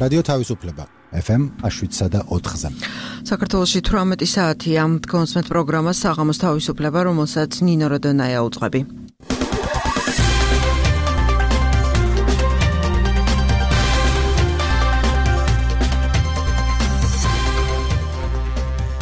რადიო თავისუფლება FM 7.4-ზე. საქართველოში 18 საათია კონსმეთ პროგრამა საღამოს თავისუფლება, რომელსაც ნინო როდონაია უძღვები.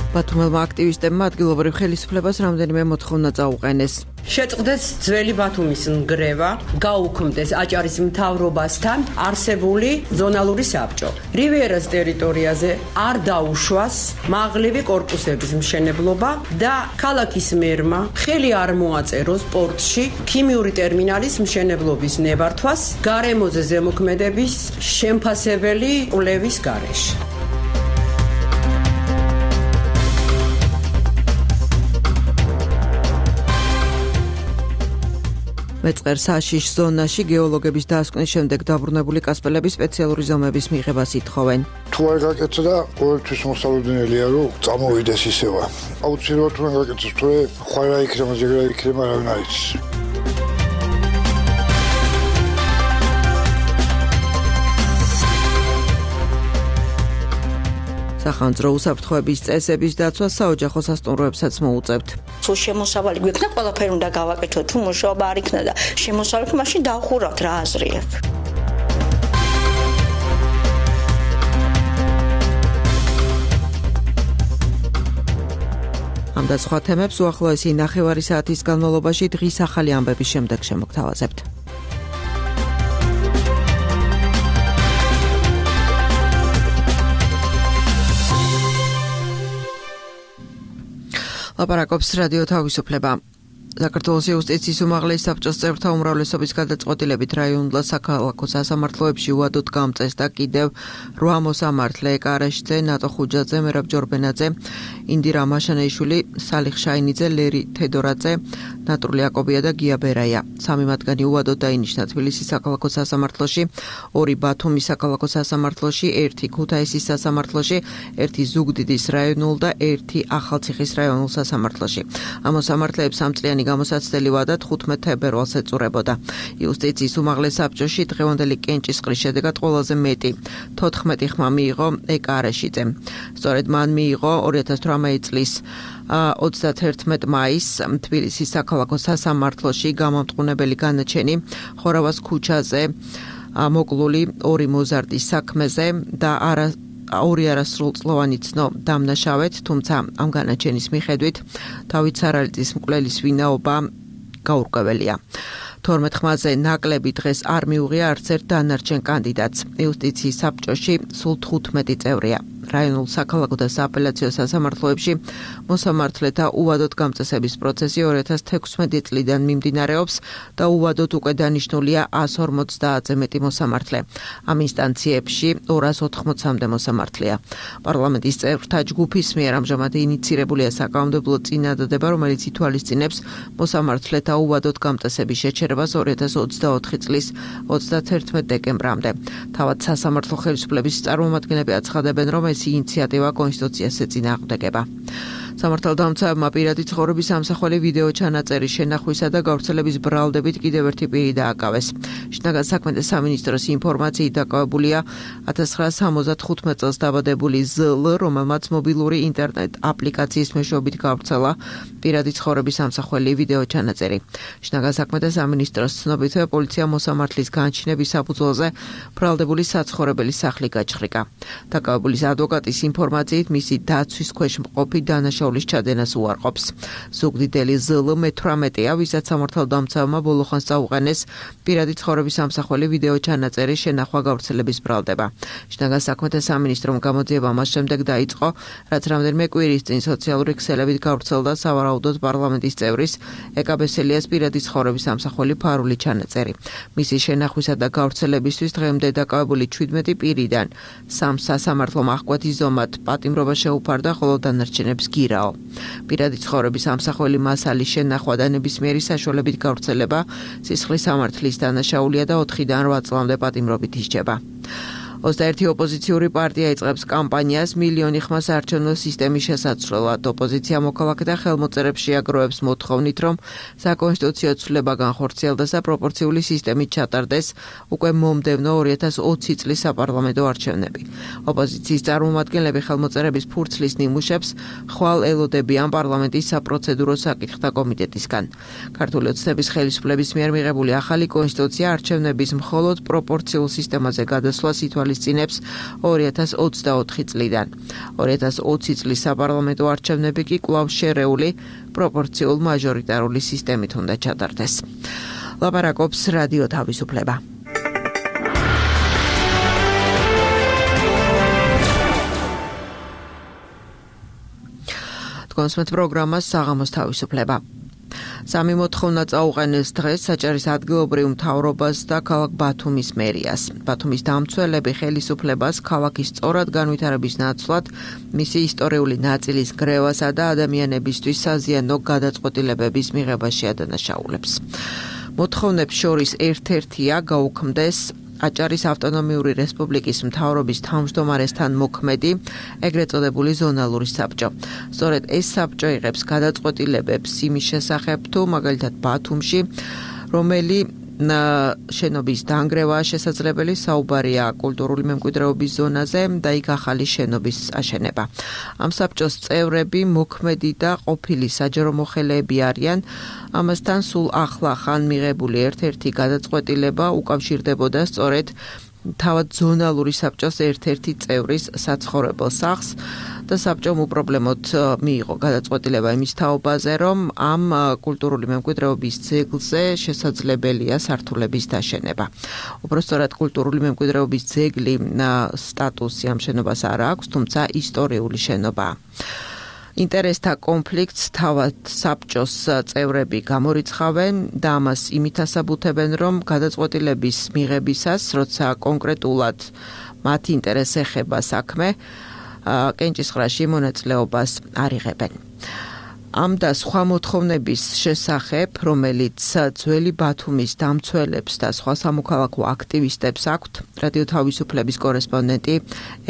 ბათუმელმა აქტივისტებმა ადგილობრივ ხელისუფლებას რამდენიმე მოთხოვნა წაუყენეს. შეწყდეს ძველი ბათუმის ნგრევა, გაუქმდეს აჭარის მთავრობასთან არსებული ზონალური საბჭო. რივიერას ტერიტორიაზე არ დაუშვას მაღლივი კორპუსების მშენებლობა და ქალაქის მერმა ხელი არ მოაწეროს პორტში ქიმიური ტერმინალის მშენებლობის ნებართვას გარემოზე ზემოქმედების შემფასებელი კვლევის გარეშე. მეწყერ საშიშ ზონაში გეოლოგების დასკვნის შემდეგ დაბრუნებული კასპელების სპეციალური ზომების მიღებას ითხოვენ. თუ არ გაკეთდა, ყოველთვის მოსალოდნელია, რომ წამოვიდეს ისევა. აუცილებლად თუ არ გაკეთდეს, თუ ხვალა იქნება, ზეგრა იქნება, რა ვინ არის. სახანძრო უსაფრთხოების წესების დაცვა საოჯახო სასტუმროებსაც მოუწევთ. თუ შემოსავალი გვექნა, ყველაფერი უნდა გავაკეთოთ, თუ მუშაობა არ იქნა და შემოსავალი, მაშინ დავხურავთ რა აზრი აქვს. ამ და სხვა თემებს უახლოესი ნახევარი საათის განმავლობაში დღის ახალი ამბების შემდეგ შემოგთავაზებთ. ლაპარაკობს რადიო თავისუფლება. საქართველოს იუსტიციის უმაღლესი საბჭოს წევრთა უმრავლესობის გადაწყვეტილებით რაიონულ საქალაქო სასამართლოებში უადოდ გამწეს და კიდევ 8 მოსამართლე ეკარაშიძე, ნატო ხუჯაძე, მერაბ ჯორბენაძე, ინდირა მაშანეიშვილი, სალიხ შაინიძე, ლერი თედორაძე, ნატურლი აკობია და გია ბერაია. 3 მათგანი უადოდ დაინიშნა თბილისის საქალაქო სასამართლოში, 2 ბათუმის საქალაქო სასამართლოში, 1 ქუთაისის სასამართლოში, 1 ზუგდიდის რაიონულ და 1 ახალციხის რაიონულ სასამართლოში. ამ მოსამართლეებს სამწლიანი გამოსაცდელი ვადა 15 თებერვალს ეწურებოდა. იუსტიციის უმაღლეს საბჭოში დღევანდელი კენჭისყრის შედეგად ყველაზე მეტი 14 ხმა მიიღო ეკარაშიძემ. სწორედ მან მიიღო 2018 წლის 31 მაისს თბილისის საქალაქო სასამართლოში გამომტყუნებელი განაჩენი ხორავას ქუჩაზე მოკლული 2 მოზარდის საქმეზე და 2 არასრულწლოვანი ცნო დამნაშავეთ, თუმცა ამ განაჩენის მიხედვით თავით სარალიწის მკვლელის ვინაობა გაურკვეველია. 12 ხმაზე ნაკლები დღეს არ მიუღია არც ერთ დანარჩენ კანდიდატს. იუსტიციის საბჭოში სულ 15 წევრია. რაიონულ საქალაქო და სააპელაციო სასამართლოებში მოსამართლეთა უვადოდ გამწესების პროცესი 2016 წლიდან მიმდინარეობს და უვადოდ უკვე დანიშნულია 150-ზე მეტი მოსამართლე. ამ ინსტანციებში 280-მდე მოსამართლეა. პარლამენტის წევრთა ჯგუფის მიერ ამჟამად ინიცირებულია საკანონმდებლო წინადადება, რომელიც ითვალისწინებს მოსამართლეთა უვადოდ გამწესების შეჩერებას 2024 წლის 31 დეკემბრამდე. თავად სასამართლო ხელისუფლების წარმომადგენლები აცხადებენ, რომ ეს ინიციატივა კონსტიტუციას ეწინააღმდეგება. სამართალდამცავებმა პირადი ცხოვრების ამსახველი ვიდეო ჩანაწერის შენახვისა და გავრცელების ბრალდებით კიდევ ერთი პირი დააკავეს. შინაგან საქმეთა სამინისტროს ინფორმაციით დაკავებულია 1975 წელს დაბადებული ზ.ლ, რომელმაც მობილური ინტერნეტ აპლიკაციის მეშვეობით გავრცელა პირადი ცხოვრების ამსახველი ვიდეო ჩანაწერი. შინაგან საქმეთა სამინისტროს ცნობით, პოლიცია მოსამართლის განჩინების საფუძველზე ბრალდებული საცხოვრებელი სახლი გაჩხრიკა. დაკავებულის ადვოკატის ინფორმაციით მისი დაცვის ქვეშ მყოფი დანაშაულის ჩადენას უარყოფს. ზუგდიდელი ზ.ლ. მე-18-ია, ვისაც სამართალდამცავებმა ბოლოხანს წაუყენეს პირადი ცხოვრების ამსახველი ვიდეო ჩანაწერის შენახვა გავრცელების ბრალდება. შინაგან საქმეთა სამინისტრომ გამოძიება მას შემდეგ დაიწყო, რაც რამდენიმე კვირის წინ სოციალური ქსელებით გავრცელდა სავარაუდოდ პარლამენტის წევრის ეკაბესელიას პირადი ცხოვრების ამსახველი ფარული ჩანაწერი. მისი შენახვისა და გავრცელებისთვის დღემდე დაკავებული 17 პირიდან 3 სასამართლომ აღკვეთი ზომად პატიმრობა შეუფარდა, ხოლო დანარჩენებს გირაო. პირადი ცხოვრების ამსახველი მასალის შენახვა და ნებისმიერი საშუალებით გავრცელება სისხლის სამართლის დანაშაულია და 4-დან 8 წლამდე პატიმრობით ისჯება. 21 ოპოზიციური პარტია იწყებს კამპანიას მილიონი ხმა საარჩევნო სისტემის შესაცვლელად. ოპოზიცია მოქალაქეთა ხელმოწერებს შეაგროვებს მოთხოვნით, რომ საკონსტიტუციო ცვლილება განხორციელდეს და პროპორციული სისტემით ჩატარდეს უკვე მომდევნო 2020 წლის საპარლამენტო არჩევნები. ოპოზიციის წარმომადგენლები ხელმოწერების ფურცლის ნიმუშებს ხვალ ელოდებიან პარლამენტის საპროცედურო საკითხთა კომიტეტისგან. ქართული ოცნების ხელისუფლების მიერ მიღებული ახალი კონსტიტუცია არჩევნების მხოლოდ პროპორციულ სისტემაზე გადასვლას ითვალისწინებს 2024 წლიდან. 2020 წლის საპარლამენტო არჩევნები კი კვლავ შერეული პროპორციულ მაჟორიტარული სისტემით უნდა ჩატარდეს. ლაპარაკობს რადიო თავისუფლება. კონსმეთ პროგრამას საღამოს თავისუფლება. სამი მოთხოვნა წაუყენეს დღეს საჭარის ადგილობრივ მთავრობას და ქალაქ ბათუმის მერიას. ბათუმის დამცველები ხელისუფლებას ქალაქის სწორად განვითარების ნაცვლად მისი ისტორიული ნაწილის გრევასა და ადამიანებისთვის საზიანო გადაწყვეტილებების მიღებაში ადანაშაულებს. მოთხოვნებს შორის ერთ-ერთია გაუქმდეს აჭარის ავტონომიური რესპუბლიკის მთავრობის თავმჯდომარესთან მოქმედი ეგრეთ წოდებული ზონალური საბჭო. სწორედ ეს საბჭო იღებს გადაწყვეტილებებს იმის შესახებ, თუ მაგალითად ბათუმში რომელი შენობის დანგრევაა შესაძლებელი, საუბარია კულტურული მემკვიდრეობის ზონაზე და იქ ახალი შენობის აშენება. ამ საბჭოს წევრები მოქმედი და ყოფილი საჯარო მოხელეები არიან. ამასთან სულ ახლა ხან მიღებული ერთ-ერთი გადაწყვეტილება უკავშირდებოდა სწორედ თავად ზონალური საბჭოს ერთ-ერთი წევრის საცხოვრებელ სახლს და საბჭომ უპრობლემოდ მიიღო გადაწყვეტილება იმის თაობაზე, რომ ამ კულტურული მემკვიდრეობის ძეგლზე შესაძლებელია სართულების დაშენება. უпростоრად კულტურული მემკვიდრეობის ძეგლი სტატუსი ამ შენობას არ აქვს, თუმცა ისტორიული შენობაა. ინტერესთა კონფლიქტს თავად საბჭოს წევრები გამორიცხავენ და ამას იმით ასაბუთებენ, რომ გადაწყვეტილების მიღებისას, როცა კონკრეტულად მათ ინტერესს ეხება საქმე, კენჭისყრაში მონაწილეობას არ იღებენ. ამ და სხვა მოთხოვნების შესახებ, რომელიც ძველი ბათუმის დამცველებს და სხვა სამოქალაქო აქტივისტებს აქვთ, რადიო თავისუფლების კორესპონდენტი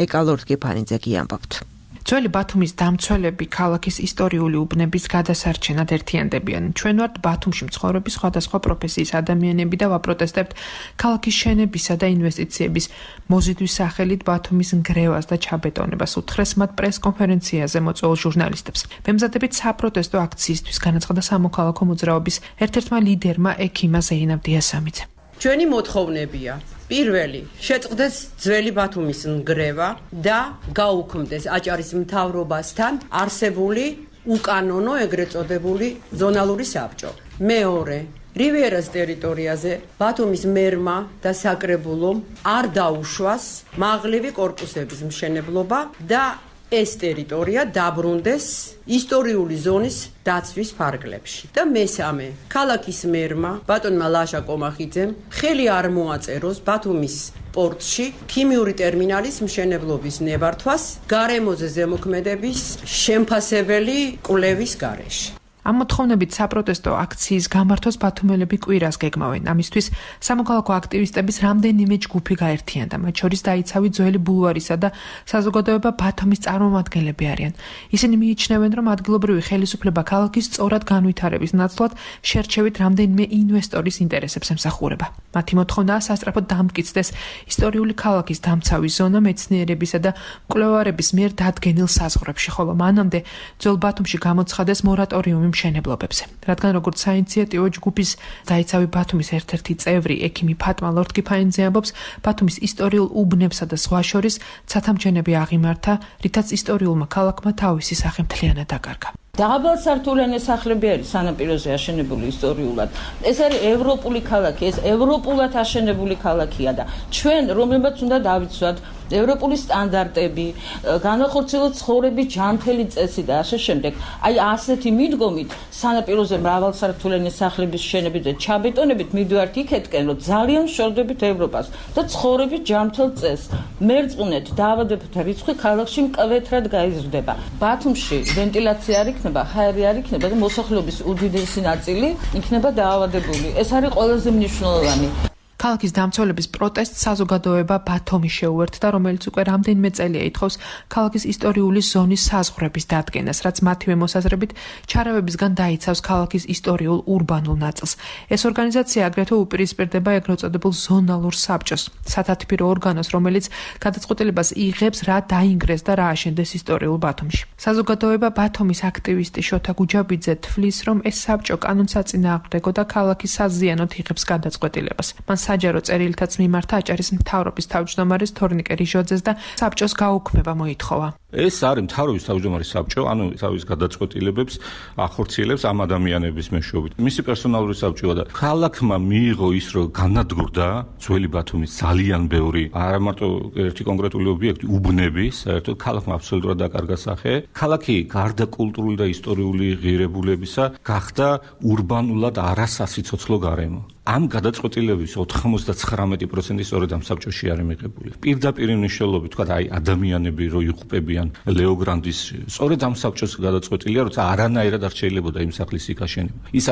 ეკალორდ გიფანიძე ამბობთ. ძველი ბათუმის დამცველები ქალაქის ისტორიული უბნების გადასარჩენად ერთიანდებიან. ჩვენ ვართ ბათუმში მცხოვრები სხვადასხვა პროფესიის ადამიანები და ვაპროტესტებთ ქალაქის შენებისა და ინვესტიციების მოზიდვის სახელით ბათუმის ნგრევას და ჩაბეტონებას. უთხრეს მათ პრეს-კონფერენციაზე მოწვეულ ჟურნალისტებს. მემზადებით საპროტესტო აქციისთვის განაცხადა სამოქალაქო მოძრაობის ერთ-ერთმა ლიდერმა ექიმა ზეინაბ დიასამიძე. ჩვენი მოთხოვნებია პირველი, შეწყდეს ძველი ბათუმის ნგრევა და გაუქმდეს აჭარის მთავრობასთან არსებული უკანონო ეგრეთ წოდებული ზონალური საბჭო. მეორე, რივიერას ტერიტორიაზე ბათუმის მერმა და საკრებულომ არ დაუშვას მაღლივი კორპუსების მშენებლობა და ეს ტერიტორია დაბრუნდეს ისტორიული ზონის დაცვის ფარგლებში. და მესამე, ქალაქის მერმა ბატონმა ლაშა კომახიძემ ხელი არ მოაწეროს ბათუმის პორტში ქიმიური ტერმინალის მშენებლობის ნებართვას გარემოზე ზემოქმედების შემფასებელი კვლევის გარეშე. ამ მოთხოვნებით საპროტესტო აქციის გამართვას ბათუმელები კვირას გეგმავენ. ამისთვის სამოქალაქო აქტივისტების რამდენიმე ჯგუფი გაერთიანდა. მათ შორის დაიცავი ძველი ბულვარისა და საზოგადოება ბათუმის წარმომადგენლები არიან. ისინი მიიჩნევენ, რომ ადგილობრივი ხელისუფლება ქალაქის სწორად განვითარების ნაცვლად შერჩევით რამდენიმე ინვესტორის ინტერესებს ემსახურება. მათი მოთხოვნაა სასწრაფოდ დამტკიცდეს ისტორიული ქალაქის დამცავი ზონა მეცნიერებისა და მკვლევარების მიერ დადგენილ საზღვრებში, ხოლო მანამდე ძველ ბათუმში გამოცხადეს მორატორიუმი მშენებლობებზე. რადგან როგორც საინიციატივო ჯგუფის დაიცავი ბათუმის ერთ-ერთი წევრი ექიმი ფატმა ლორდ-კიფანიძე ამბობს, ბათუმის ისტორიულ უბნებსა და სხვა შორის ცათამბჯენები აღიმართა, რითაც ისტორიულმა ქალაქმა თავისი სახე მთლიანად დაკარგა. დაღაბალსართულიანი სახლები არის სანაპიროზე აშენებული ისტორიულად. ეს არის ევროპული ქალაქი, ეს ევროპულად აშენებული ქალაქია და ჩვენ რომელმაც უნდა დავიცვათ ევროპული სტანდარტები, განახორციელოთ ცხოვრების ჯანმრთელი წესი და ასე შემდეგ. აი ასეთი მიდგომით სანაპიროზე მრავალსართულიანი სახლების შენებით და ჩაბეტონებით მივდივართ იქეთკენ, რომ ძალიან ვშორდებით ევროპას და ცხოვრების ჯანმრთელ წესს. მერწყვნეთ დაავადებათა რიცხვი ქალაქში მკვეთრად გაიზრდება. ბათუმში ვენტილაცია არ იქნება, ჰაერი არ იქნება და მოსახლეობის უდიდესი ნაწილი იქნება დაავადებული. ეს არის ყველაზე მნიშვნელოვანი. ქალაქის დამცველების პროტესტს საზოგადოება ბათუმი შეუერთდა, რომელიც უკვე რამდენიმე წელია ითხოვს ქალაქის ისტორიული ზონის საზღვრების დადგენას, რაც მათივე მოსაზრებით ჩარავებისგან დაიცავს ქალაქის ისტორიულ ურბანულ ნაწილს. ეს ორგანიზაცია აგრეთვე უპირისპირდება ეგრეთ წოდებულ ზონალურ საბჭოს, სათათბირო ორგანოს, რომელიც გადაწყვეტილებას იღებს, რა დაინგრეს და რა აშენდეს ისტორიულ ბათუმში. საზოგადოება ბათუმის აქტივისტი შოთა გუჯაბიძე თვლის, რომ ეს საბჭო კანონსაწინააღმდეგო და ქალაქის საზიანოდ იღებს გადაწყვეტილებას. მან საჯარო წერილითაც მიმართა აჭარის მთავრობის თავმჯდომარის თორნიკე რიჟოძეს და საბჭოს გაუქმება მოითხოვა. ეს არის მთავრობის თავმჯდომარის საბჭო, ანუ თავის გადაწყვეტილებებს ახორციელებს ამ ადამიანების მეშვეობით. მისი პერსონალური საბჭოა და ქალაქმა მიიღო ის, რომ განადგურდა ძველი ბათუმის ძალიან ბევრი, არა მარტო ერთი კონკრეტული ობიექტი, უბნები, საერთოდ ქალაქმა აბსოლუტურად დაკარგა სახე. ქალაქი გარდა კულტურული და ისტორიული ღირებულებისა გახდა ურბანულად არასასიცოცხლო გარემო. ამ გადაწყვეტილების 99% სწორედ ამ საბჭოში არის მიღებული. პირდაპირ მნიშვნელობით, თქვა აი ადამიანები რო იღუპებიან ლეოგრანდის, სწორედ ამ საბჭოს გადაწყვეტილია, როცა არანაირად არ შეიძლებოდა იმ სახლის იქაშენება. ის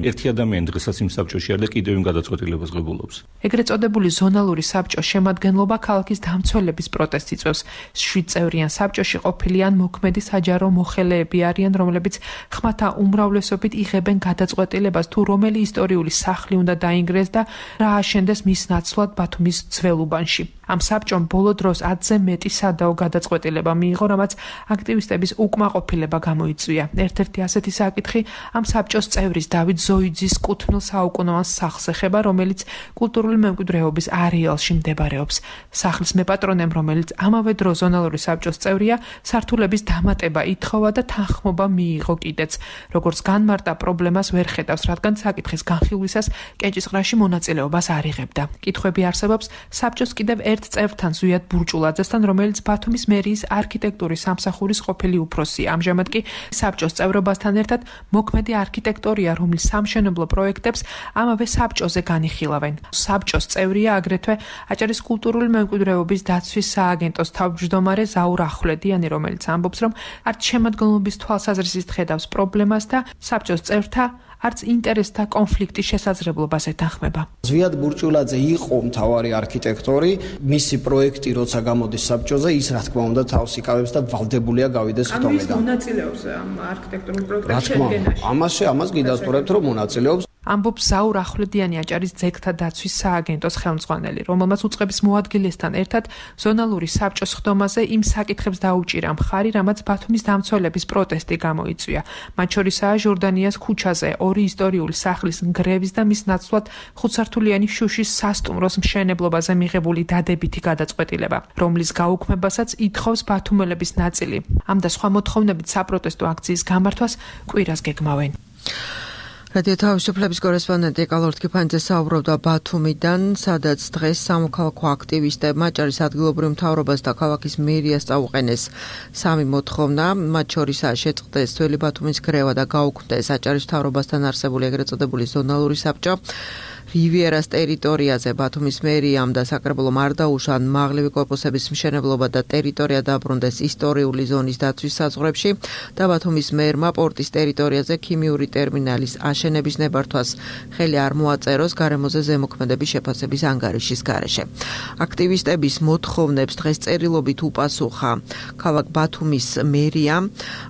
ერთი ადამიანი დღესაც იმ საბჭოში არის და კიდევ იმ გადაწყვეტილებას ღებულობს. ეგრეთ წოდებული ზონალური საბჭოს შემადგენლობა ქალაქის დამცველების პროტესტს იწვევს. 7 წევრიან საბჭოში ყოფილიან მოქმედი საჯარო მოხელეები არიან, რომლებიც ხმათა უმრავლესობით იღებენ გადაწყვეტილებას, თუ რომელი ისტორიული სახლი უნდა დაინგრეს და რა აშენდეს მის ნაცვლად ბათუმის ძველ უბანში. ამ საბჭომ ბოლო დროს 10-ზე მეტი სადაო გადაწყვეტილება მიიღო, რამაც აქტივისტების უკმაყოფილება გამოიწვია. ერთ-ერთი ასეთი საკითხი ამ საბჭოს წევრის დავით ზოიძის კუთვნილ საუკუნოვან სახლს ეხება, რომელიც კულტურული მემკვიდრეობის არეალში მდებარეობს. სახლის მეპატრონემ, რომელიც ამავე დროს ზონალური საბჭოს წევრია, სართულების დამატება ითხოვა და თანხმობა მიიღო კიდეც. როგორც განმარტა, პრობლემას ვერ ხედავს, რადგან საკითხის განხილვისას კენჭისყრაში მონაწილეობას არ იღებდა. კითხვები არსებობს საბჭოს კიდევ ერთ წევრთან ზვიად ბურჭულაძესთან, რომელიც ბათუმის მერიის არქიტექტურის სამსახურის ყოფილი უფროსია. ამჟამად კი საბჭოს წევრობასთან ერთად მოქმედი არქიტექტორია, რომლის სამშენებლო პროექტებს ამავე საბჭოზე განიხილავენ. საბჭოს წევრია აგრეთვე აჭარის კულტურული მემკვიდრეობის დაცვის სააგენტოს თავმჯდომარე ზაურ ახვლედიანი, რომელიც ამბობს, რომ არც შემადგენლობის თვალსაზრისით ხედავს პრობლემას და საბჭოს წევრთა არც ინტერესთა კონფლიქტის შესაძლებლობას ეთანხმება. ზვიად ბურჭულაძე იყო მთავარი არქიტექტორი, მისი პროექტი როცა გამოდის საბჭოზე, ის რა თქმა უნდა თავს იკავებს და ვალდებულია გავიდეს ხტომიდან. ამის მონაწილეობს ამ არქიტექტურულ პროექტებში შედგენაში. ამას გიდასტურებთ, რომ მონაწილეობს. ამბობს ზაურ ახვლედიანი, აჭარის ძეგლთა დაცვის სააგენტოს ხელმძღვანელი, რომელმაც უწყების მოადგილესთან ერთად ზონალური საბჭოს ხდომაზე იმ საკითხებს დაუჭირა მხარი, რამაც ბათუმის დამცველების პროტესტი გამოიწვია. მათ შორისაა ჟორდანიას ქუჩაზე ორი ისტორიული სახლის ნგრევის და მის ნაცვლად ხუთსართულიანი შუშის სასტუმროს მშენებლობაზე მიღებული დადებითი გადაწყვეტილება, რომლის გაუქმებასაც ითხოვს ბათუმელების ნაწილი. ამ და სხვა მოთხოვნებით საპროტესტო აქციის გამართვას კვირას გეგმავენ. რადიო თავისუფლების კორესპონდენტი ეკალორთ კიფანიძე საუბრობდა ბათუმიდან, სადაც დღეს სამოქალაქო აქტივისტებმა აჭარის ადგილობრივ მთავრობას და ქალაქის მერიას წაუყენეს სამი მოთხოვნა, მათ შორისაა შეწყდეს ძველი ბათუმის გრევა და გაუქმდეს აჭარის მთავრობასთან არსებული ეგრეთ წოდებული ზონალური საბჭო. რივიერას ტერიტორიაზე ბათუმის მერიამ და საკრებულომ არ დაუშან მაღლივი კორპუსების მშენებლობა და ტერიტორია დაბრუნდეს ისტორიული ზონის დაცვის საზღვრებში და ბათუმის მერმა პორტის ტერიტორიაზე ქიმიური ტერმინალის აშენების ნებართვას ხელი არ მოაწეროს გარემოზე ზემოქმედების შეფასების ანგარიშის გარეშე. აქტივისტების მოთხოვნებს დღეს წერილობით უპასუხა ქალაქ ბათუმის მერიამ.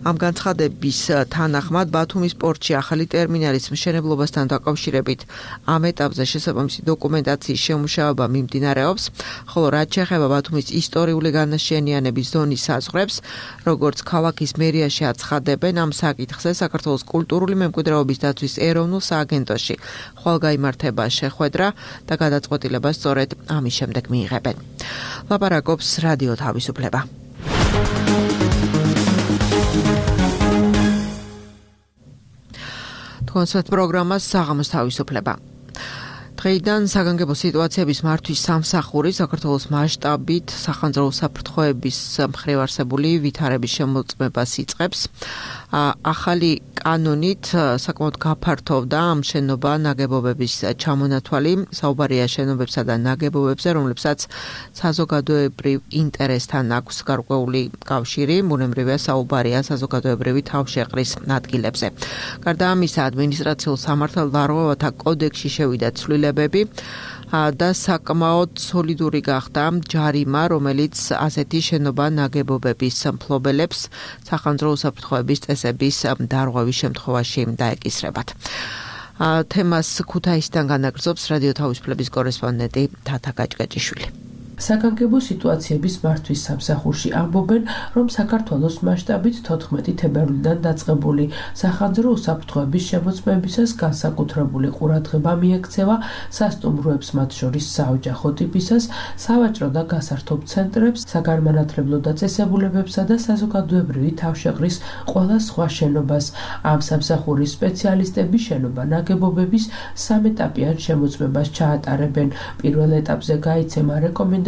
ამ განცხადების თანახმად ბათუმის პორტში ახალი ტერმინალის მშენებლობასთან დაკავშირებით ამ ეტაპზე შესაბამისი დოკუმენტაციის შემუშავება მიმდინარეობს, ხოლო რაც შეეხება ბათუმის ისტორიული განაშენიანების ზონის საზღვრებს, როგორც ქალაქის მერიაში აცხადებენ, ამ საკითხზე საქართველოს კულტურული მემკვიდრეობის დაცვის ეროვნულ სააგენტოში ხვალ გაიმართება შეხვედრა და გადაწყვეტილება სწორედ ამის შემდეგ მიიღებენ. ლაპარაკობს რადიო თავისუფლება. კონცერტ პროგრამას საღამოს თავისუფლება. დღეიდან საგანგებო სიტუაციების მართვის სამსახური საქართველოს მასშტაბით სახანძრო საფრთხეების მხრივ არსებული ვითარების შემოწმებას იწყებს. ახალი კანონით საკმაოდ გაფართოვდა ამ შენობა ნაგებობების ჩამონათვალი, საუბარია შენობებსა და ნაგებობებზე, რომლებსაც საზოგადოებრივ ინტერესთან აქვს გარკვეული კავშირი, ბუნებრივია საუბარია საზოგადოებრივი თავშეყრის ადგილებზე. გარდა ამისა, ადმინისტრაციულ სამართალდარღვევათა კოდექსში შევიდა ცვლილებები, და საკმაოდ სოლიდური გახდა ჯარიმა, რომელიც ასეთი შენობა ნაგებობების მფლობელებს სახანძრო უსაფრთხოების წესების დარღვევის შემთხვევაში დაეკისრებათ. თემას ქუთაისიდან განაგრძობს რადიო თავისუფლების კორესპონდენტი თათა გაჭგაჭიშვილი. საგანგებო სიტუაციების მართვის სამსახურში ამბობენ, რომ საქართველოს მასშტაბით 14 თებერვლიდან დაწყებული სახანძრო უსაფრთხოების შემოწმებისას განსაკუთრებული ყურადღება მიექცევა სასტუმროებს, მათ შორის საოჯახო ტიპისას, სავაჭრო და გასართობ ცენტრებს, საგანმანათლებლო დაწესებულებებსა და საზოგადოებრივი თავშეყრის ყველა სხვა შენობას. ამ სამსახურის სპეციალისტები შენობა ნაგებობების სამეტაპიან შემოწმებას ჩაატარებენ. პირველ ეტაპზე გაიცემა რეკომენდაციები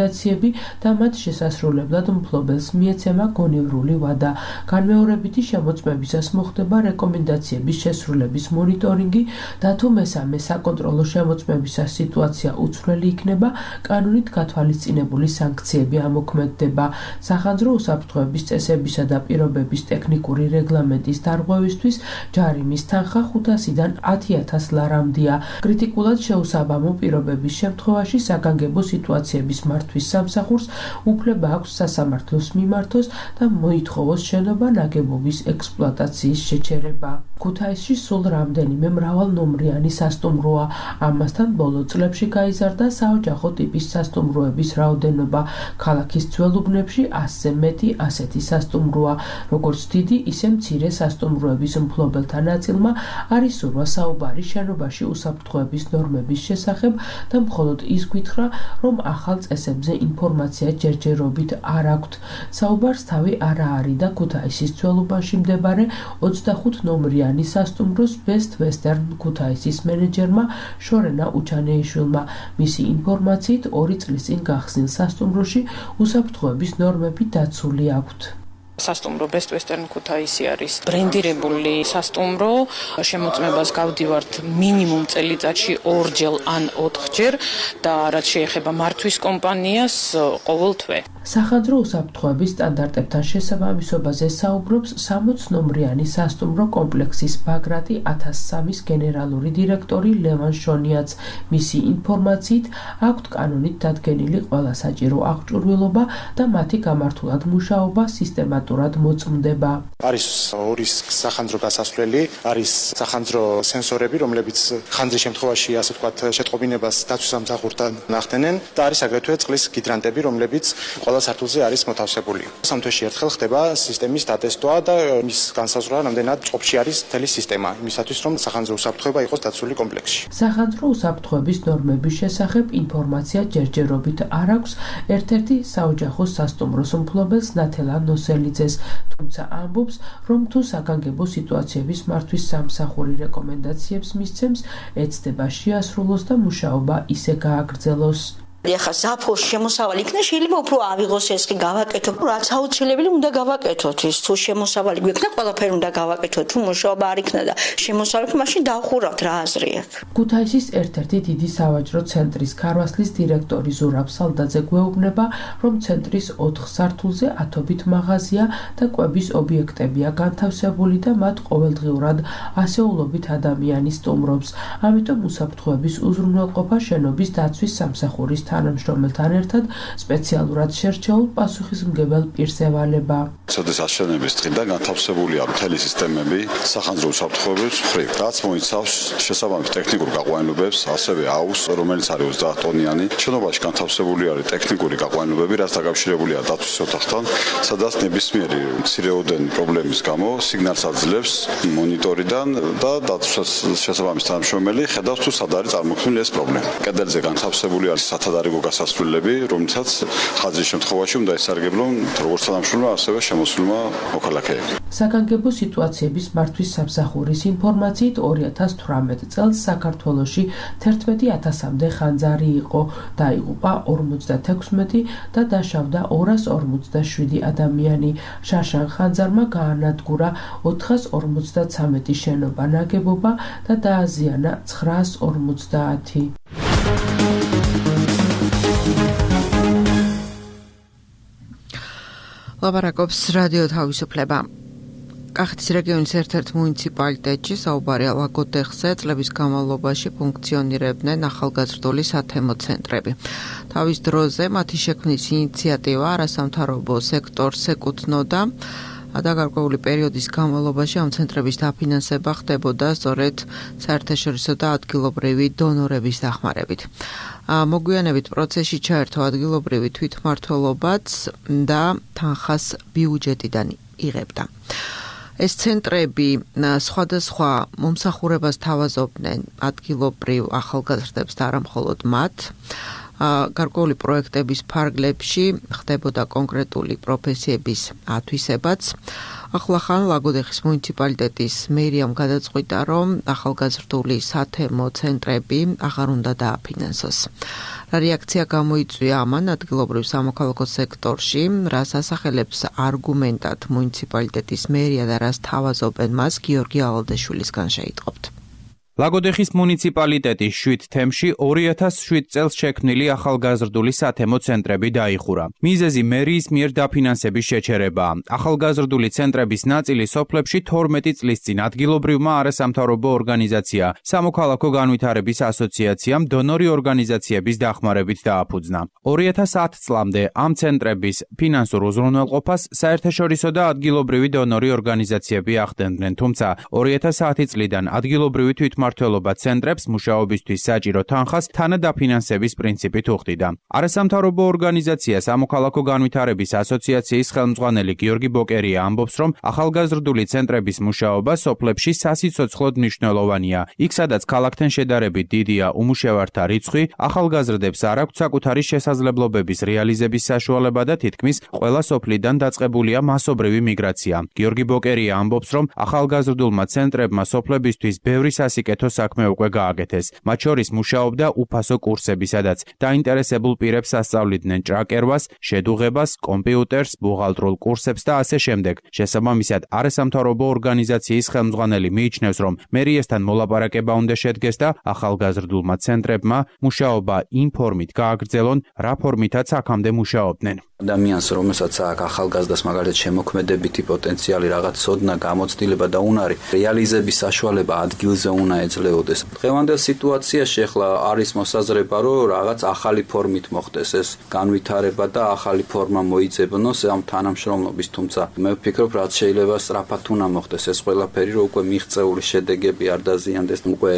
და მათ შესასრულებლად მფლობელს მიეცემა გონივრული ვადა. განმეორებითი შემოწმებისას მოხდება რეკომენდაციების შესრულების მონიტორინგი და თუ მესამე საკონტროლო შემოწმებისას სიტუაცია უცვლელი იქნება, კანონით გათვალისწინებული სანქციები ამოქმედდება. სახანძრო უსაფრთხოების წესებისა და პირობების ტექნიკური რეგლამენტის დარღვევისთვის ჯარიმის თანხა 500-დან 10,000 ლარამდეა. კრიტიკულად შეუსაბამო პირობების შემთხვევაში საგანგებო სიტუაციების მართვის სამსახურს უფლება აქვს სასამართლოს მიმართოს და მოითხოვოს შენობა ნაგებობის ექსპლუატაციის შეჩერება. ქუთაისში სულ რამდენიმე მრავალნომრიანი სასტუმროა. ამასთან ბოლო წლებში გაიზარდა საოჯახო ტიპის სასტუმროების რაოდენობა. ქალაქის ძველ უბნებში 100-ზე მეტი ასეთი სასტუმროა. როგორც დიდი, ისე მცირე სასტუმროების მფლობელთა ნაწილმა არის სურვა საუბარი შენობაში უსაფრთხოების ნორმების შესახებ და მხოლოდ ის გითხრა, რომ ახალ წესებზე ინფორმაცია ჯერჯერობით არ აქვთ. საუბარს თავი არა არის და ქუთაისის ძველ უბანში მდებარე 25 ნომრიანი სასტუმროს Best Western ქუთაისის მენეჯერმა შორენა უჩანეიშვილმა. მისი ინფორმაციით 2 წლის წინ გახსნილ სასტუმროში უსაფრთხოების ნორმები დაცული აქვთ. სასტუმრო Best Western ქუთაისი არის ბრენდირებული სასტუმრო. შემოწმებას გავდივართ მინიმუმ წელიწადში 2-ჯერ ან 4-ჯერ და რაც შეეხება მართვის კომპანიას ყოველ თვე. სახანძრო უსაფრთხოების სტანდარტებთან შესაბამისობაზე საუბრობს 60 ნომრიანი სასტუმრო კომპლექსის ბაგრატი 1003-ის გენერალური დირექტორი ლევან შონიაც. მისი ინფორმაციით აქვთ კანონით დადგენილი ყველა საჭირო აღჭურვილობა და მათი გამართულად მუშაობა სისტემატურად მოწმდება. არის 2 სახანძრო გასასვლელი, არის სახანძრო სენსორები, რომლებიც ხანძრის შემთხვევაში, ასე ვთქვათ, შეტყობინებას დაცვის სამსახურთან ნახდენენ და არის აგრეთვე წყლის გიდრანტები, რომლებიც ყველა სართულზე არის მოთავსებული. სამთვეში ერთხელ ხდება სისტემის დატესტვა და მის განსაზღვრა რამდენად წყობში არის მთელი სისტემა, იმისათვის რომ სახანძრო უსაფრთხოება იყოს დაცული კომპლექსში. სახანძრო უსაფრთხოების ნორმების შესახებ ინფორმაცია ჯერჯერობით არ აქვს ერთ-ერთი საოჯახო სასტუმროს მფლობელს ნათელა ნოსელიძეს, თუმცა ამბობს, რომ თუ საგანგებო სიტუაციების მართვის სამსახური რეკომენდაციებს მისცემს, ეცდება შეასრულოს და მუშაობა ისე გააგრძელოს. ახლა საფოს შემოსავალი იქნება, შეიძლება უფრო ავიღოს ეს კი გავაკეთო, რაც აუცილებელი უნდა გავაკეთოთ. ის თუ შემოსავალი გვექნა, ყველაფერი უნდა გავაკეთოთ. თუ მუშაობა არ იქნება და შემოსავალი, მაშინ დავხურავთ რა აზრი აქვს. ქუთაისის ერთ-ერთი დიდი სავაჭრო ცენტრის ქარვასლის დირექტორი ზურაბ სალდაძე გვეუბნება, რომ ცენტრის 4 სართულზე ათობით მაღაზია და კვების ობიექტებია განთავსებული და მათ ყოველდღიურად ასეულობით ადამიანი სტუმრობს. ამიტომ უსაფრთხოების უზრუნველყოფა შენობის დაცვის სამსახურის თანამშრომელთან ერთად სპეციალურად შერჩეულ პასუხისმგებელ პირს ევალება. ცოდეს აშენების დღიდან განთავსებულია მთელი სისტემები სახანძრო უსაფრთხოების მხრივ, რაც მოიცავს შესაბამის ტექნიკურ გაყვანილობებს, ასევე აუზს, რომელიც არის 30 ტონიანი. შენობაში განთავსებული არის ტექნიკური გაყვანილობები, რაც დაკავშირებულია დაცვის ოთახთან, სადაც ნებისმიერი მცირეოდენი პრობლემის გამო სიგნალს აძლევს მონიტორიდან და დაცვის შესაბამის თანამშრომელი ხედავს თუ სად არის წარმოქმნილი ეს პრობლემა. კედელზე განთავსებული არის სათადარიგო გასასვლელები, რომლითაც ხაზის შემთხვევაში უნდა ესარგებლონ როგორც თანამშრომელმა, ასევე შემოსულმა მოქალაქეებმა. საგანგებო სიტუაციების მართვის სამსახურის ინფორმაციით 2018 წელს საქართველოში 11,000-მდე ხანძარი იყო, დაიღუპა 56 და დაშავდა 247 ადამიანი. შაშან ხანძარმა გაანადგურა 453 შენობა ნაგებობა და დააზიანა 950. ლაპარაკობს რადიო თავისუფლება. კახეთის რეგიონის ერთ-ერთ მუნიციპალიტეტში საუბარია ლაგოდეხზე წლების განმავლობაში ფუნქციონირებდნენ ახალგაზრდული სათემო ცენტრები. თავის დროზე მათი შექმნის ინიციატივა არასამთავრობო სექტორს ეკუთვნოდა და გარკვეული პერიოდის განმავლობაში ამ ცენტრების დაფინანსება ხდებოდა სწორედ საერთაშორისო და ადგილობრივი დონორების დახმარებით. მოგვიანებით პროცესში ჩაერთო ადგილობრივი თვითმმართველობაც და თანხას ბიუჯეტიდან იღებდა. ეს ცენტრები სხვადასხვა მომსახურებას თავაზობდნენ ადგილობრივ ახალგაზრდებს და არა მხოლოდ მათ. გარკვეული პროექტების ფარგლებში ხდებოდა კონკრეტული პროფესიების ათვისებაც. ახლახან ლაგოდეხის მუნიციპალიტეტის მერიამ გადაწყვიტა, რომ ახალგაზრდული სათემო ცენტრები აღარ უნდა დააფინანსოს. რა რეაქცია გამოიწვია ამან ადგილობრივ სამოქალაქო სექტორში, რას ასახელებს არგუმენტად მუნიციპალიტეტის მერია და რას თავაზობენ მას, გიორგი ალალდაშვილისგან შეიტყობთ. ლაგოდეხის მუნიციპალიტეტის 7 თემში 2007 წელს შექმნილი ახალგაზრდული სათემო ცენტრები დაიხურა. მიზეზი მერიის მიერ დაფინანსების შეჩერებაა. ახალგაზრდული ცენტრების ნაწილი სოფლებში 12 წლის წინ ადგილობრივმა არასამთავრობო ორგანიზაცია სამოქალაქო განვითარების ასოციაციამ დონორი ორგანიზაციების დახმარებით დააფუძნა. 2010 წლამდე ამ ცენტრების ფინანსურ უზრუნველყოფას საერთაშორისო და ადგილობრივი დონორი ორგანიზაციები ახდენდნენ, თუმცა 2010 წლიდან ადგილობრივი თვითმმართველობა ცენტრებს მუშაობისთვის საჭირო თანხას თანადაფინანსების პრინციპით უხდიდა. არასამთავრობო ორგანიზაცია სამოქალაქო განვითარების ასოციაციის ხელმძღვანელი გიორგი ბოკერია ამბობს, რომ ახალგაზრდული ცენტრების მუშაობა სოფლებში სასიცოცხლოდ მნიშვნელოვანია. იქ, სადაც ქალაქთან შედარებით დიდია უმუშევართა რიცხვი, ახალგაზრდებს არ აქვთ საკუთარი შესაძლებლობების რეალიზების საშუალება და თითქმის ყველა სოფლიდან დაწყებულია მასობრივი მიგრაცია. გიორგი ბოკერია ამბობს, რომ ახალგაზრდულმა ცენტრებმა სოფლებისთვის ბევრი სასიკეთო საქმე უკვე გააკეთეს. მათ შორის მუშაობდა უფასო კურსები, სადაც დაინტერესებულ პირებს ასწავლიდნენ ჭრაკერვას, შედუღებას, კომპიუტერს, ბუღალტრულ კურსებს და ასე შემდეგ. შესაბამისად, არასამთავრობო ორგანიზაციის ხელმძღვანელი მიიჩნევს, რომ მერიესთან მოლაპარაკება უნდა შედგეს და ახალგაზრდულმა ცენტრებმა მუშაობა იმ ფორმით გააგრძელონ, რა ფორმითაც აქამდე მუშაობდნენ. ადამიანს, რომელსაც აქვს ახალგაზრდას მაგალითად შემოქმედებითი პოტენციალი, რაღაც ცოდნა, გამოცდილება და უნარი, რეალიზების საშუალება ადგილზე უნდა ეძლეოდეს. დღევანდელ სიტუაციაში ახლა არის მოსაზრება, რომ რაღაც ახალი ფორმით მოხდეს ეს განვითარება და ახალი ფორმა მოიძებნოს ამ თანამშრომლობის, თუმცა მე ვფიქრობ, რაც შეიძლება სწრაფად უნდა მოხდეს ეს ყველაფერი, რომ უკვე მიღწეული შედეგები არ დაზიანდეს, უკვე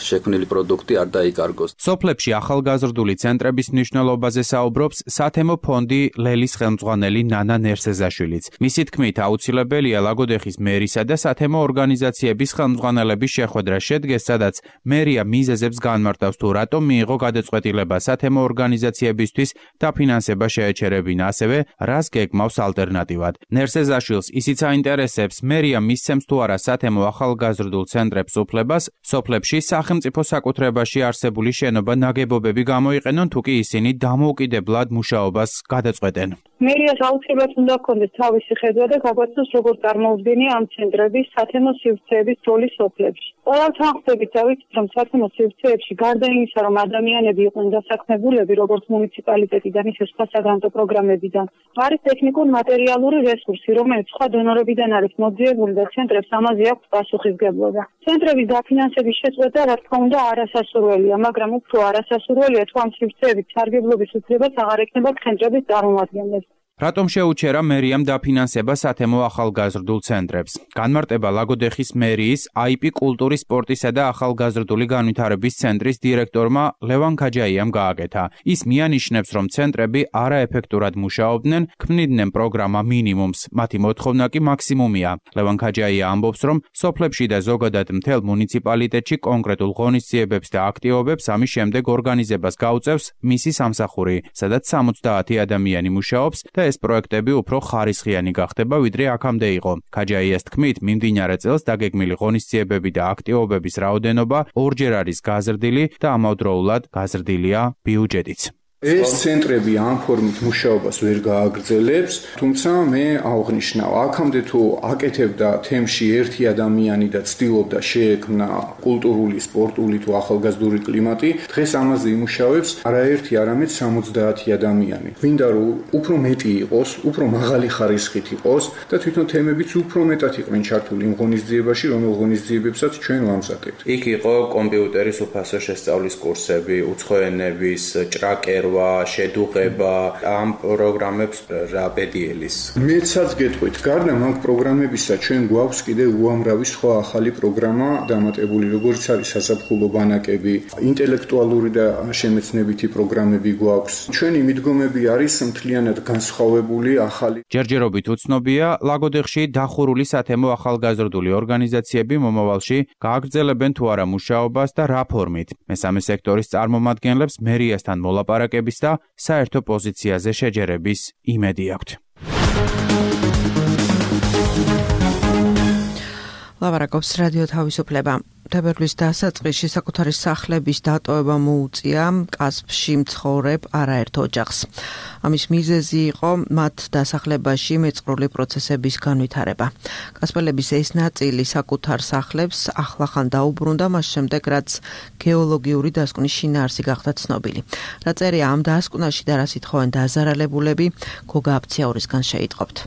შექმნილი პროდუქტი არ დაიკარგოს. სოფლებში ახალგაზრდული ცენტრების მნიშვნელობაზე საუბრობს სათემო ფონდი ლელის ხელმძღვანელი ნანა ნერსეზაშვილიც. მისი თქმით, აუცილებელია ლაგოდეხის მერისა და სათემო ორგანიზაციების ხელმძღვანელების შეხვედრა შედგეს, სადაც მერია მიზეზებს განმარტავს თუ რატომ მიიღო გადაწყვეტილება სათემო ორგანიზაციებისთვის დაფინანსება შეეჩერებინა, ასევე რას გეგმავს ალტერნატივად. ნერსეზაშვილს ისიც აინტერესებს, მერია მისცემს თუ არა სათემო ახალგაზრდულ ცენტრებს უფლებას სოფლებში სახელმწიფო საკუთრებაში არსებული შენობა ნაგებობები გამოიყენონ, თუ კი ისინი დამოუკიდებლად მუშაობას გადაწყვეტენ. მერიას აუცილებლად უნდა ჰქონდეს თავისი ხედვა და გაგვაცნოს, როგორ წარმოუდგენია ამ ცენტრების სათემო სივრცეების როლი სოფლებში. ყველასთან ხდებით დავიცით, რომ სათემო სივრცეებში გარდა იმისა, რომ ადამიანები იყვნენ დასაქმებულები, როგორც მუნიციპალიტეტიდან, ისე სხვა საგრანტო პროგრამებიდან, არის ტექნიკურ-მატერიალური რესურსი, რომელიც სხვა დონორებიდან არის მოძიებული და ცენტრებს ამაზე აქვს პასუხისგებლობა. ცენტრების დაფინანსების შეწყვეტა, რა თქმა უნდა, არასასურველია, მაგრამ უფრო არასასურველია, თუ ამ სივრცეებით სარგებლობის უფლებას აღარ ექნება ცენტრების წარმომადგენლებს. რატომ შეუჩერა მერიამ დაფინანსება სათემო ახალგაზრდულ ცენტრებს? განმარტება ლაგოდეხის მერიის IP კულტურის, სპორტისა და ახალგაზრდული განვითარების ცენტრის დირექტორმა ლევან ქაჯაიამ გააკეთა. ის მიანიშნებს, რომ ცენტრები არაეფექტურად მუშაობდნენ, ქმნიდნენ პროგრამა მინიმუმს, მათი მოთხოვნა კი მაქსიმუმია. ლევან ქაჯაია ამბობს, რომ სოფლებში და ზოგადად მთელ მუნიციპალიტეტში კონკრეტულ ღონისძიებებს და აქტივობებს ამის შემდეგ ორგანიზებას გაუწევს მისი სამსახური, სადაც 70 ადამიანი მუშაობს და ეს პროექტები უფრო ხარისხიანი გახდება, ვიდრე აქამდე იყო. ქაჯაიას თქმით, მიმდინარე წელს დაგეგმილი ღონისძიებები და აქტივობების რაოდენობა ორჯერ არის გაზრდილი და ამავდროულად გაზრდილია ბიუჯეტიც. ეს ცენტრები ამ ფორმით მუშაობას ვერ გააგრძელებს, თუმცა მე აღვნიშნავ, აქამდე თუ აკეთებდა თემში ერთი ადამიანი და ცდილობდა შეექმნა კულტურული, სპორტული თუ ახალგაზრდული კლიმატი, დღეს ამაზე იმუშავებს არაერთი, არამედ 70 ადამიანი. გვინდა რომ უფრო მეტი იყოს, უფრო მაღალი ხარისხით იყოს და თვითონ თემებიც უფრო მეტად იყვნენ ჩართული იმ ღონისძიებაში, რომელ ღონისძიებებსაც ჩვენ ვამზადებთ. იქ იყო კომპიუტერის უფასო შესწავლის კურსები, უცხოენების, ჭრაკერვა, შედუღება, ამ პროგრამებს რა ბედიელის. მეცაც გეტყვით, გარდა მაგ პროგრამებისა, ჩვენ გვაქვს კიდე უამრავი სხვა ახალი პროგრამა დამატებული, როგორც არის საზაფხულო ბანაკები, ინტელექტუალური და შემეცნებითი პროგრამები გვაქვს. ჩვენი მიდგომები არის მთლიანად განსხვავებული, ახალი. ჯერჯერობით უცნობია, ლაგოდეხში დახურული სათემო ახალგაზრდული ორგანიზაციები მომავალში გააგრძელებენ თუ არა მუშაობას და რა ფორმით. მესამე სექტორის წარმომადგენლებს მერიასთან მოლაპარაკების და საერთო პოზიციაზე შეჯერების იმედი აქვთ. ლაპარაკობს რადიო თავისუფლება. თებერვლის დასაწყისში საკუთარი სახლების დატოვება მოუწია კასპში მცხოვრებ არაერთ ოჯახს. ამის მიზეზი იყო მათ დასახლებაში მეწყრული პროცესების განვითარება. კასპელების ეს ნაწილი საკუთარ სახლებს ახლახან დაუბრუნდა მას შემდეგ, რაც გეოლოგიური დასკვნის შინაარსი გახდა ცნობილი. რა წერია ამ დასკვნაში და რა სიტყვენ დაზარალებულები, გოგა აფციაურისგან შეიტყობთ.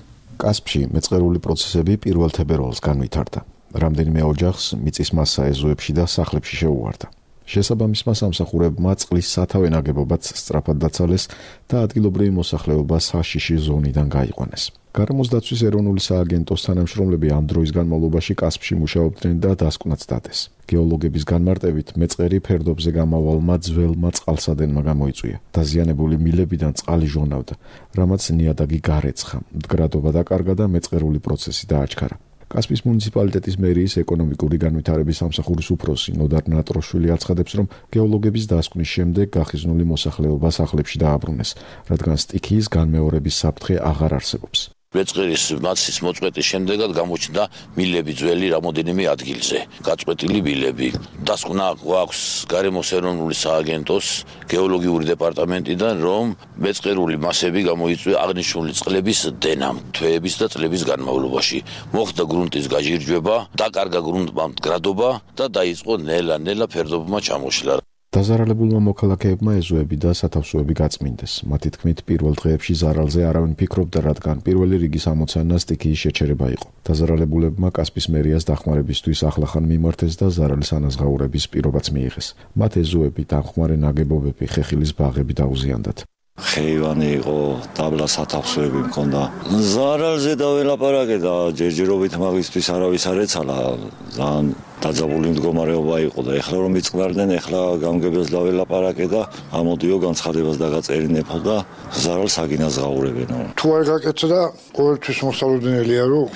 კასპში მეწყრული პროცესები 1 თებერვალს განვითარდა. რამდენიმე ოჯახს მიწის მასა ეზოებში და სახლებში შეუვარდა. შესაბამისმა სამსახურებმა წყლის სათავე ნაგებობაც სწრაფად დაცალეს და ადგილობრივი მოსახლეობა საშიში ზონიდან გაიყვანეს. გარემოს დაცვის ეროვნული სააგენტოს თანამშრომლები ამ დროის განმავლობაში კასპში მუშაობდნენ და დასკვნაც დადეს. გეოლოგების განმარტებით მეწყერი ფერდობზე გამავალმა ძველმა წყალსადენმა გამოიწვია. დაზიანებული მილებიდან წყალი ჟონავდა, რამაც ნიადაგი გარეცხა, მდგრადობა დაკარგა და მეწყერული პროცესი დააჩქარა. კასპის მუნიციპალიტეტის მერიის ეკონომიკური განვითარების სამსახურის უფროსი ნოდარ ნატროშვილი აცხადებს, რომ გეოლოგების დასკვნის შემდეგ გახიზნული მოსახლეობა სახლებში დააბრუნეს, რადგან სტიქიის განმეორების საფრთხე აღარ არსებობს. მეწყერის მასის მოწყვეტის შემდეგად გამოჩნდა მილები ძველი რამოდენიმე ადგილზე. გაწყვეტილი მილები. დასკვნა გვაქვს გარემოს ეროვნული სააგენტოს გეოლოგიური დეპარტამენტიდან, რომ მეწყერული მასები გამოიწვია აღნიშნული წყლების დენამ, თვეების და წლების განმავლობაში. მოხდა გრუნტის გაჟირჯვება, დაკარგა გრუნტმა მდგრადობა და დაიწყო ნელა-ნელა ფერდობმა ჩამოშლა. დაზარალებულმა მოქალაქეებმა ეზოები და სათავსოები გაწმინდეს. მათი თქმით, პირველ დღეებში ზარალზე არავინ ფიქრობდა, რადგან პირველი რიგის ამოცანა სტიქიის შეჩერება იყო. დაზარალებულებმა კასპის მერიას დახმარებისთვის ახლახან მიმართეს და ზარალის ანაზღაურების პირობაც მიიღეს. მათ ეზოები, დამხმარე ნაგებობები, ხეხილის ბაღები დაუზიანდათ. ხეივანი იყო, დაბლა სათავსოები მქონდა. ზარალზე დაველაპარაკე და ჯერჯერობით მაგისთვის არავის არ ეცალა. ძალიან დაძაბული მდგომარეობა იყო და ეხლა რომ იწყნარდნენ, ეხლა გამგებელს დაველაპარაკე და ამოდიო განცხადებას დაგაწერინებო და ზარალს აგინაზღაურებენო. თუ არ გაკეთდა, ყოველთვის მოსალოდნელია რომ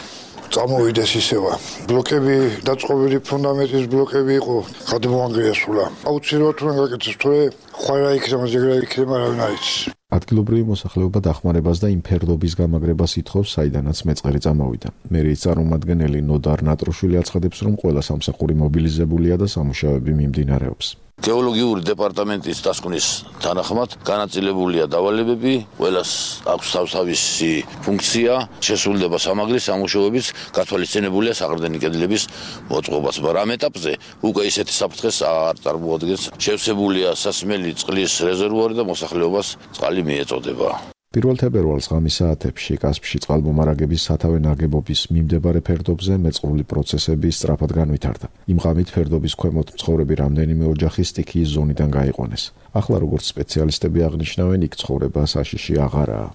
წამოვიდეს ისევა. ბლოკები, დაწყობილი ფუნდამენტის ბლოკები იყო, გადმოანგრიასულა. აუცილებლად უნდა გაკეთდეს, თორე ხვარა იქნება, ზეგრა იქნება, არავინ არ იცის. ადგილობრივი მოსახლეობა დახმარებას და იმ ფერდობის გამაგრებას ითხოვს, საიდანაც მეწყერი წამოვიდა. მერიის წარმომადგენელი ნოდარ ნატროშვილი აცხადებს, რომ ყველა სამსახური მობილიზებულია და სამუშაოები მიმდინარეობს. გეოლოგიური დეპარტამენტის დასკვნის თანახმად განაწილებულია დავალებები, ყველას აქვს თავსავისი ფუნქცია, შესრულდება სამაგრის სამუშაოებიც, გათვალისწინებულია საყრდენი კედლების მოწყობაც, მაგრამ ამ ეტაპზე უკვე ისეთი საფრთხეს არ წარმოადგენს. შევსებულია სასმელი წყლის რეზერვუარი და მოსახლეობას წყალი მიეწოდება. 1 თებერვალს ღამის საათებში კასპში წყალმომარაგების სათავე ნაგებობის მიმდებარე ფერდობზე მეწყრული პროცესები სწრაფად განვითარდა. იმ ღამით ფერდობის ქვემოთ მცხოვრები რამდენიმე ოჯახი სტიქიის ზონიდან გაიყვანეს. ახლა როგორც სპეციალისტები აღნიშნავენ, იქ ცხოვრება საშიში აღარაა.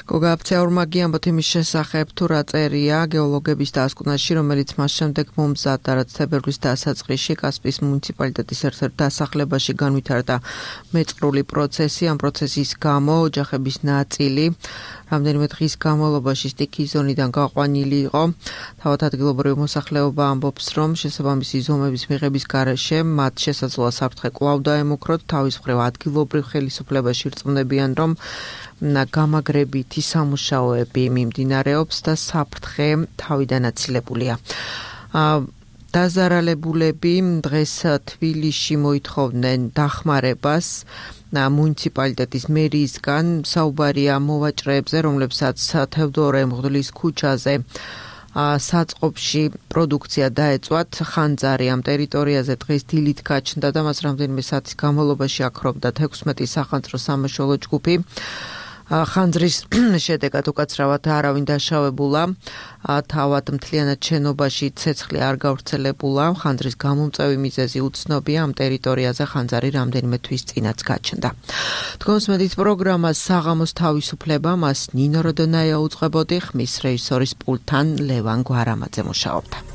გოგა აფციაურმა გიამბოთ იმის შესახებ, თუ რა წერია გეოლოგების დასკვნაში, რომელიც მას შემდეგ მომზადდა, რაც თებერვლის დასაწყისში კასპის მუნიციპალიტეტის ერთ-ერთ დასახლებაში განვითარდა მეწყრული პროცესი. ამ პროცესის გამო ოჯახების ნაწილი რამდენიმე დღის განმავლობაში სტიქიის ზონიდან გაყვანილი იყო. თავად ადგილობრივი მოსახლეობა ამბობს, რომ შესაბამისი ზომების მიღების გარეშე მათ შესაძლოა საფრთხე კვლავ დაემუქროთ. თავის მხრივ ადგილობრივ ხელისუფლებაში რწმუნებიან, რომ გამაგრებითი სამუშაოები მიმდინარეობს და საფრთხე თავიდან აცილებულია. დაზარალებულები დღეს თბილისში მოითხოვდნენ დახმარებას მუნიციპალიტეტის მერიისგან. საუბარია მოვაჭრეებზე, რომლებსაც თევდორე მღვდლის ქუჩაზე საწყობში პროდუქცია დაეწვათ. ხანძარი ამ ტერიტორიაზე დღეს დილით გაჩნდა და მას რამდენიმე საათის განმავლობაში აქრობდა 16 სახანძრო სამაშველო ჯგუფი. ხანძრის შედეგად უკაცრავად არავინ დაშავებულა. თავად მთლიანად შენობაში ცეცხლი არ გავრცელებულა. ხანძრის გამომწვევი მიზეზი უცნობია. ამ ტერიტორიაზე ხანძარი რამდენიმე თვის წინაც გაჩნდა. თქვენს მედიის პროგრამას საღამოს თავისუფლება, მას ნინო როდონაია უძღვებოდი, ხმის რეჟისორის პულტთან ლევან გვარამაძე მუშაობდა.